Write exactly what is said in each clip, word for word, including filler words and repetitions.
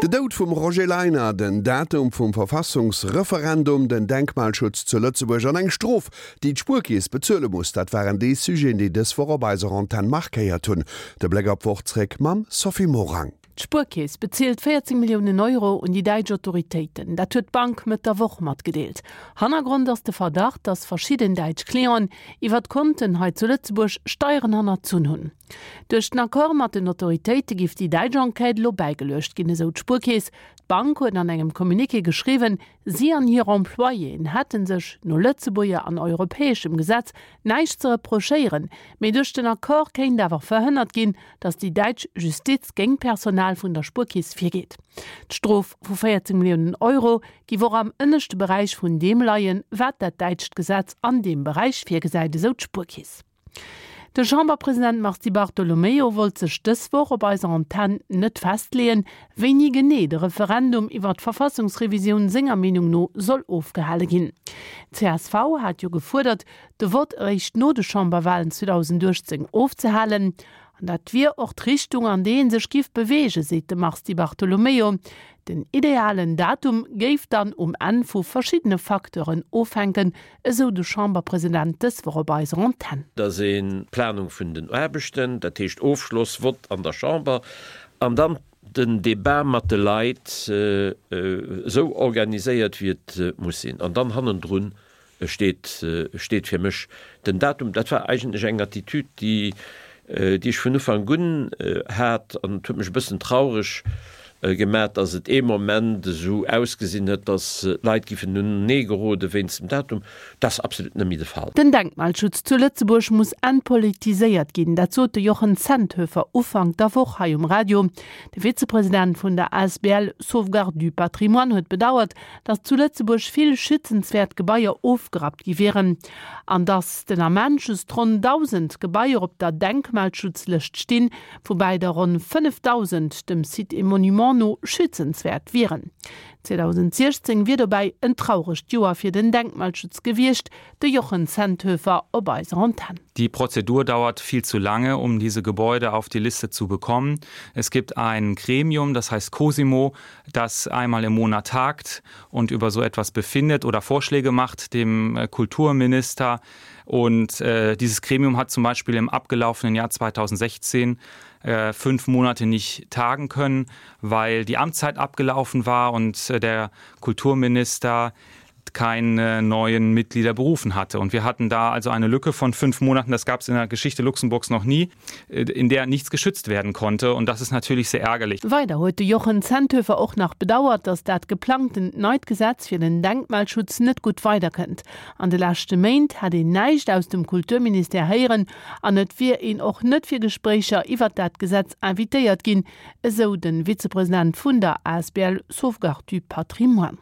Den Doud vum Roger Leiner, den Datum vum Verfassungsreferendum, den Denkmalschutz zu Lëtzebuerg an eng Strof, déi d'Spuerkeess bezuele muss, dat waren déi Sujeten, déi dës Woch op eiser Antenn markéiert hunn. De Bléck op d'Woch zréck mam Sophie Morang. D'Spuerkeess bezilt véierzéng Milliounen Euro un déi däitsch Autoritéiten. Dat huet d'Bank Mëtt der Woch matgedeelt. Hannergrond ass de Verdacht, datt verschidden däitsch Clienten iwwert Konten hei zu Lëtzebuerg Steieren hannerzunn hunn. Duerch den Accord mat den Autoritéite giff déi däitsch Enquête elo bäigeluecht ginn, esou d'Spuerkeess. D'Bank huet an engem Communiqué geschriwwen, si an hir Employéen hätte sech no Lëtzebuerger an europäeschem Gesetz näischt ze reprochéieren, mee duerch den Accord kéint awer verhënnert ginn, datt déi däitsch Justiz géint d'Personal vun der Spuerkeess virgeet. D'Strof vu véierzéng Milliounen Euro giff och am ënneschte Beräich vun deem leien, wat dat däitscht Gesetz an deem Beräich virgesäit, esou d'Spuerkeess. De Chamberpresident Mars Di Bartolomeo wollt sech dës Woch op eiser Antenn net festleeën, wéini genee de Referendum iwwer d'Verfassungsrevisioun senger Meenung no soll ofgehale ginn. Csv hat jo gefuerdert, de Vott eréischt no de Chamberwalen zweedausendachtzéng ofzehalen. An dat wier och d'Richtung, an déi ee sech giff beweegen, seet de Mars Di Bartolomeo. Den idealen Datum géif dann um Enn vu verschiddene Facteuren ofhänken, esou de Chamberpresident dës Woch op eiser Antenn. Dat ass d'Planung vun den Aarbechten, dat heescht Ofschloss, Vott an der Chamber an dann den Debat mat de Leit esou organiséiert, wéi et muss sinn. An dann hannendrun steet, steet fir mech den Datum. Dat war eigentlech eng Attitüd, déi, déi ech vun Ufank un hat an et huet mech e bëssen traureg gemat, datt et ee Moment esou ausgesinn huet, datt d'Leit giffen uneneegerode wéinst dem Datum. Dat ass absolut net méi de Fall. Den Denkmalschutz zu Lëtzebuerg muss entpolitiséiert ginn, dat sot de Jochen Zenthöfer Ufank der Woch hei um Radio. De Vizepresident vun der asbl Sauvegarde du Patrimoine huet bedauert, datt zu Lëtzebuerg vill schützenswäert Gebaier ofgerappt gi wieren an datt den Ament just ronn dausend Gebaier op der Denkmalschutzlëscht stinn, woubäi der ronn fënnefdausend dem Sites et Monuments no schützenswäert wieren. zweedausentsiechzéng wier dobäi en trauregt Joer fir den Denkmalschutz gewiescht, de Jochen Zenthöfer op eiser Antenn. Die Prozedur dauert viel zu lange, um diese Gebäude auf die Liste zu bekommen. Es gibt ein Gremium, das heißt Cosimo, das einmal im Monat tagt und über so etwas befindet oder Vorschläge macht dem Kulturminister. Und äh, dieses Gremium hat zum Beispiel im abgelaufenen Jahr zweitausendsechzehn äh, fünf Monate nicht tagen können, weil die Amtszeit abgelaufen war und äh, der Kulturminister keine neuen Mitglieder berufen hatte. Und wir hatten da also eine Lücke von fünf Monaten, das gab es in der Geschichte Luxemburgs noch nie, in der nichts geschützt werden konnte. Und das ist natürlich sehr ärgerlich. Weider huet de Jochen Zenthöfer och nach bedauert, datt dat geplangtent neit Gesetz fir den Denkmalschutz net gutt weiderkënnt. An de leschte Méint hätt een näischt aus dem Kulturministère héieren an et wier een och net fir Gespréicher iwwert dat Gesetz invitéiert ginn, esou de Vizepresident vun der asbl Sauvegarde du Patrimoine.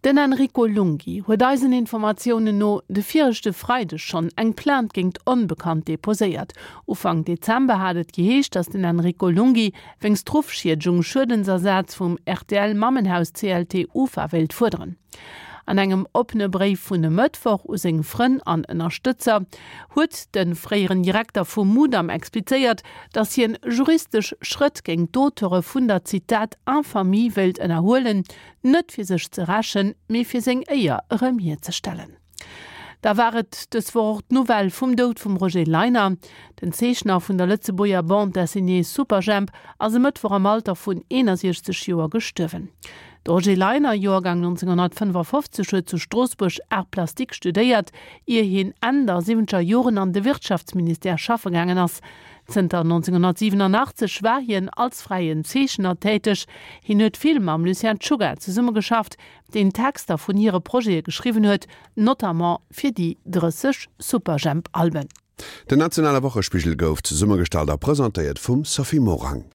Den Enrico Lunghi huet eisen Informatiounen no de viregte Freideg schonn eng Plainte géingt Onbekannt deposéiert. Ufank Dezember hat et geheescht, datt den Enrico Lunghi wéinst Ruffschiedegung Schuedensersaz vum R T L-Mammenhaus C L T Ufa wéilt fuerderen. An engem oppene Bréif vun e Mëttwoch u seng Frënn an Ënnerstëtzer huet de fréieren Direkter vum Mudam explizéiert, datt hien juristesch Schrëtt géint d'Auteure vun der Zitat Infamie wéilt ënnerhuelen, net fir sech ze rächen, mee fir seng Éier erëm hierzestellen. Da war et dës Woch och d'Nouvelle vum Doud vum Roger Leiner. Den Zeechner vun der Lëtzebuerger Bande dessinée Superjhemp ass e Mëttwoch am Alter vun eenasiechzeg Joer gestuerwen. De Roger Leiner, Joergang nonzénghonnertfënnefafofzeg, huet zu Stroossbuerg Arts plastiques studéiert, ier hien Enn der siwwenzeger Joren an de Wirtschaftsministère schaffe gaangen ass. Zënter nonzénghonnertsiwenanachtzeg war hien als fräien Zeechner täteg. Hien huet vill mam Lucien Czuga zesummegeschafft, deen Texter vun hire Projete geschriwwen huet, notamment fir déi drësseg Superjhemp-Alben. Den nationale Wochespigel gouf zesummegestallt a presentéiert vum Sophie Morang.